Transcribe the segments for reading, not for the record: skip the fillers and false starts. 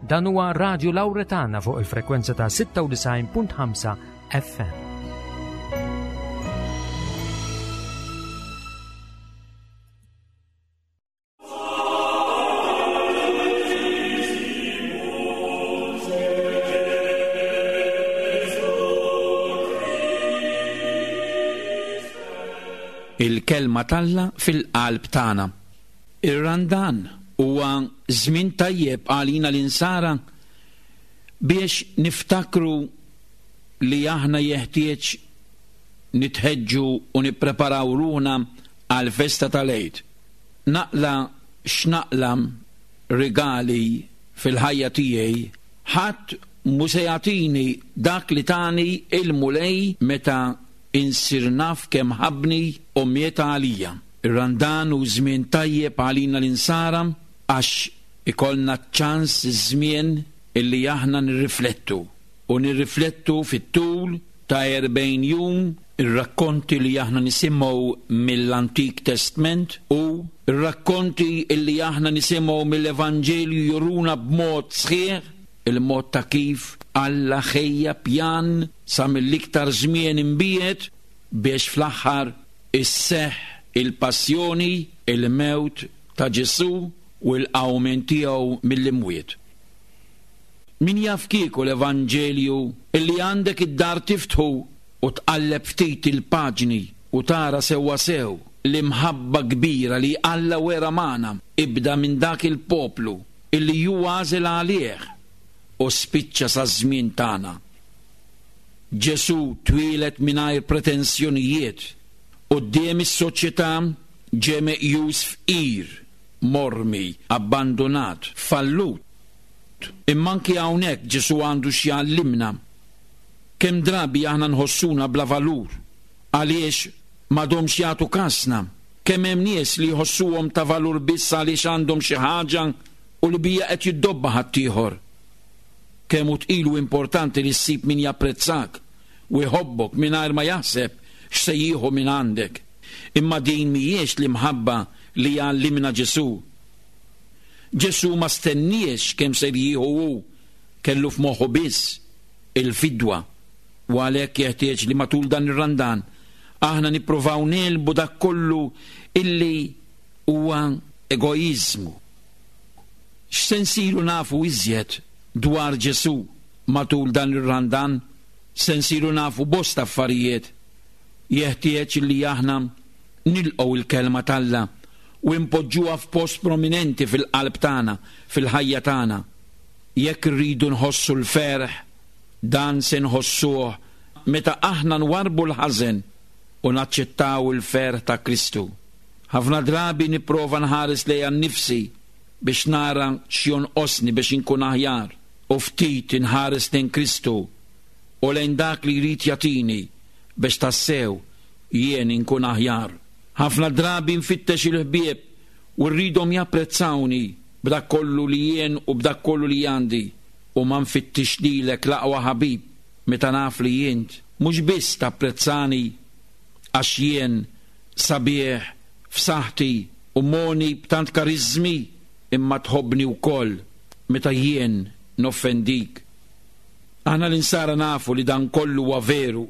Dan huwa Radio Lauretana fuq il-frekwenza ta' 96.5 FM. Il-kelma t'Alla fil-qalb tagħna. Ir-Randan huwa żmien tajjeb għalina l-Insara biex niftakru li aħna jeħtieġ nitħeġġu u nippreparaw ruħna għall-festa tal-Għid. Naqla' x'naqla' rigali fil-ħajja tiegħi, ħadd mhu se jagħtini dak li tani l-Mulej meta insir naf kemm ħabbni u miet għalija. Ir-Randan hu żmien tajjeb għalina l-Insara għax ikollna ċ-ċans iż-żmien illi aħna nirriflettu u nirriflettu fit-tul ta' 40 jum ir-rakkonti li aħna nisimgħu mill-Antik Testment u r-rakkonti illi aħna nisimgħu mill-Evanġelju juruna b'mod sħiħ il-mod ta' kif Alla ħejja pjan sa mill-iktar żmien imbiegħed biex fl-aħħar isseħħ il-passjoni, il-mewt ta' Ġesù u l-qawmien tiegħu mill-imwiet. Min jaf kieku l-Evanġelju li għandek id-dar tiftħu u tqalleb ftit il-paġni u tara sewwasew l-imħabba kbira li Alla wera magħna ibda minn dak il-poplu illi hu għażel għalih u spiċċa saż-żmien tagħna. Ġesù twieled mingħajr pretensjonijiet. Quddiem is-soċjetà ġie meqjus fqir, mormi, abbandunat, fallut. Imma anki hawnhekk Ġesù għandu x'jgħallimna. Kemm drabi aħna nħossuna bla valur għaliex m'għadhomx jagħtu kasna. Kemm hemm nies li jħossuhom ta' valur biss għaliex għandhom xi ħaġa u li biha qed jiddobba ħaddieħor. Kemm hu tqil u importanti li ssib min japprezzak u jħobbok mingħajr ma jaħseb x'se jieħu mingħandek. Imma din mhijiex l-imħabba li jgħallimna Ġesù. Ġesù ma stenniex kemm ser jieħu hu, kellu f'moħħu biss il-fidwa. U għalhekk jeħtieġ li matul dan ir-Randan aħna nippruvaw negħlbu dak kollu illi huwa egoiżmu. X'se nsiru nafu iżjed dwar Ġesù matul dan ir-Randan? Se nsiru nafu bosta affarijiet. Jeħtieġ illi aħna nilqgħu l-Kelma t'Alla u npoġġuha f'post prominenti fil-qalb tagħna, fil-ħajja tagħna. Jekk irridu nħossu l-ferħ, dan se nħossuh meta aħna nwarrbu l-ħażen u naċċettaw il-ferħ ta' Kristu. Ħafna drabi nipprova nħares lejja nnifsi biex nara x'jonqosni biex inkun aħjar, u ftit inħares lejn Kristu u lejn dak li jrid jagħtini biex tassew jien inkun aħjar. Ħafna drabi nfittex il-ħbieb u rridhom japprezzawni b'dak kollu li jien u b'dak kollu li għandi u ma nfittix lilek l-aqwa ħabib meta naf li int mhux biss tapprezzani għax jien sabiħ f'saħħti u mogħni b'tant kariżmi imma tħobbni wkoll meta jien noffendik. Aħna l-Insara nafu li dan kollu huwa veru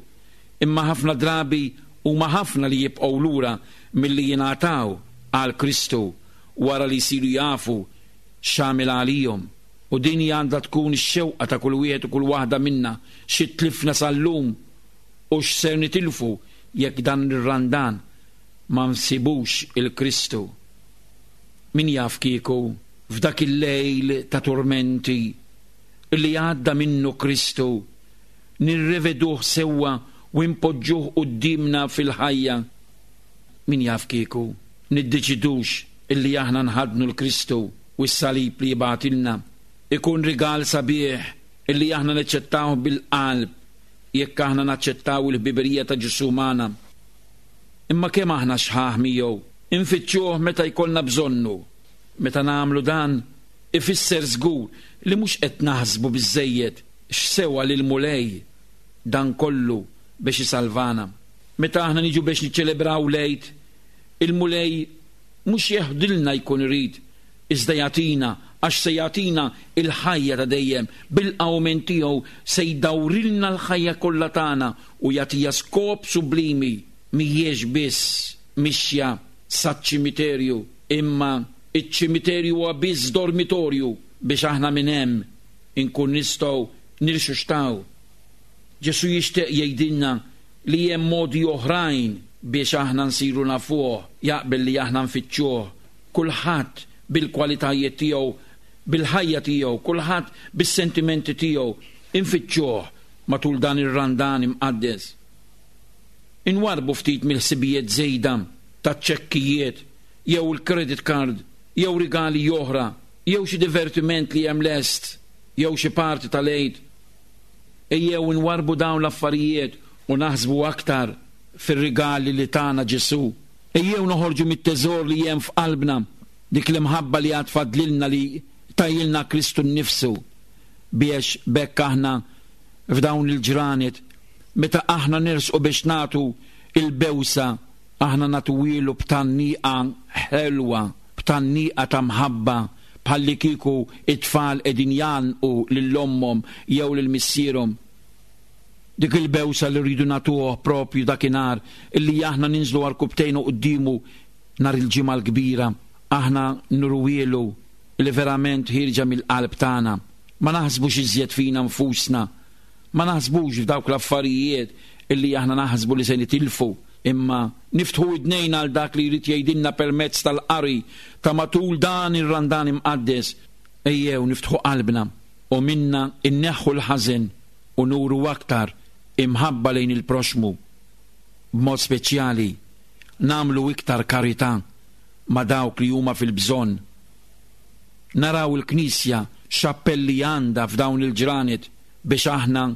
imma ħafna drabi Huma ħafna li jibqgħu lura milli jingħataw għal Kristu wara li jsiru jafu x'għamel għalihom. U din hi għandha tkun ix-xewqa ta' kull wieħed u kull waħda minna, xi tlifna sal-lum u x'ser nitilfu jekk dan ir-Randan ma nsibux 'il Kristu. Min jaf kieku f'dak il-lejl ta' turmenti li għadda minnu Kristu nirreveduh sewwa u npoġġuh quddiemna fil-ħajja. Min jaf kieku niddeċidux illi aħna nħaddnu 'l Kristu u s-salib li jibgħatilna. Ikun rigal sabiħ illi aħna neċċettawh bil-qalb jekk aħna naċċettaw il-ħbiberija ta' Ġesù magħna. Imma kemm aħna xħaħ miegħu, infittxuh meta jkollna bżonnu. Meta nagħmlu dan, ifisser żgur li mhux qed naħsbu biżżejjed x'sewa lill-Mulej dan kollu biex isalvana. Meta aħna niġu biex niċċelebraw l-Għid, il-Mulej mhux jeħdilna jkun irid, iżda jagħtina għax se jagħtina l-ħajja ta' dejjem, bil-qawmien tiegħu se jdawrilna l-ħajja kollha tagħna u jagħtiha skop sublimi. Mhijiex biss mixja saċ-ċimiterju, imma ċ-ċimiterju huwa biss dormitorju biex aħna minn hemm inkun nistgħu nirxuxtaw. Ġesù jixtieq jgħidilna li hemm modi oħrajn biex aħna nsiru nafuh, jaqbel li aħna nfittxuh. Kulħadd bil-kwalitajiet tiegħu, bil-ħajja tiegħu, kulħadd bis-sentimenti tiegħu, infittxuh matul dan ir-Randan imqaddes. Inwarrbu ftit mill-ħsibijiet żejda taċ-ċekkijiet jew il-credit card jew rigali oħra jew xi divertiment li hemm lest jew xi party tal-Għid. Ejjew inwarrbu dawn l-affarijiet u naħsbu aktar fir-rigali li tana Ġesù. Ejjew noħorġu mit-teżor li hemm f'qalbna, dik l-imħabba li għad fadlilna li tajilna Kristu nnifsu, biex b'hekk aħna f'dawn il-ġranet, meta aħna nersqu biex nagħtu l-bewsa, aħna nagħtuhielu b'tgħanniqa ħelwa, b'tgħanniqa ta' mħabba, bħallikieku t-tfal qegħdin jgħannqu lil ommhom jew lil missierhom. Dik il-bewsa li rridu nagħtuh proprju dakinhar illi aħna ninżlu għarkupptejna quddiemu nhar il-Ġimgħa l-Kbira, aħna nuruhielu li verament ħierġa mill-qalb tagħna. Ma naħsbux iżjed fina nfusna, ma naħsbux f'dawk l-affarijiet illi aħna naħsbu li se nitilfu, imma niftħu widnejna għal dak li jrid jgħidilna permezz tal-qari ta' matul dan ir-Randan Imqaddes. Ejjew niftħu qalbna u minna nneħħu l-ħażen u nuru aktar imħabba lejn il-proxxmu. B'mod speċjali, nagħmlu iktar karità ma' dawk li huma fil-bżonn. Naraw il-Knisja x'appelli għandha f'dawn il-ġranet biex aħna,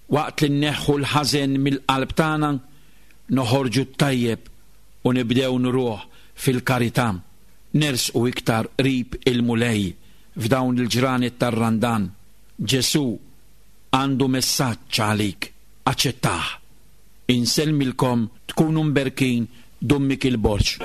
waqt li nneħħu l-ħażen mill-qalb tagħna, noħorġu t-tajjeb u nibdew nuruh fil-karità. Nersqu iktar qrib il-Mulej f'dawn il-ġranet tar-Randan. Ġesù għandu messaġġ għalik. Aċċettah. Insellmilkom tkunu mberkin Dun Mikiel Borg.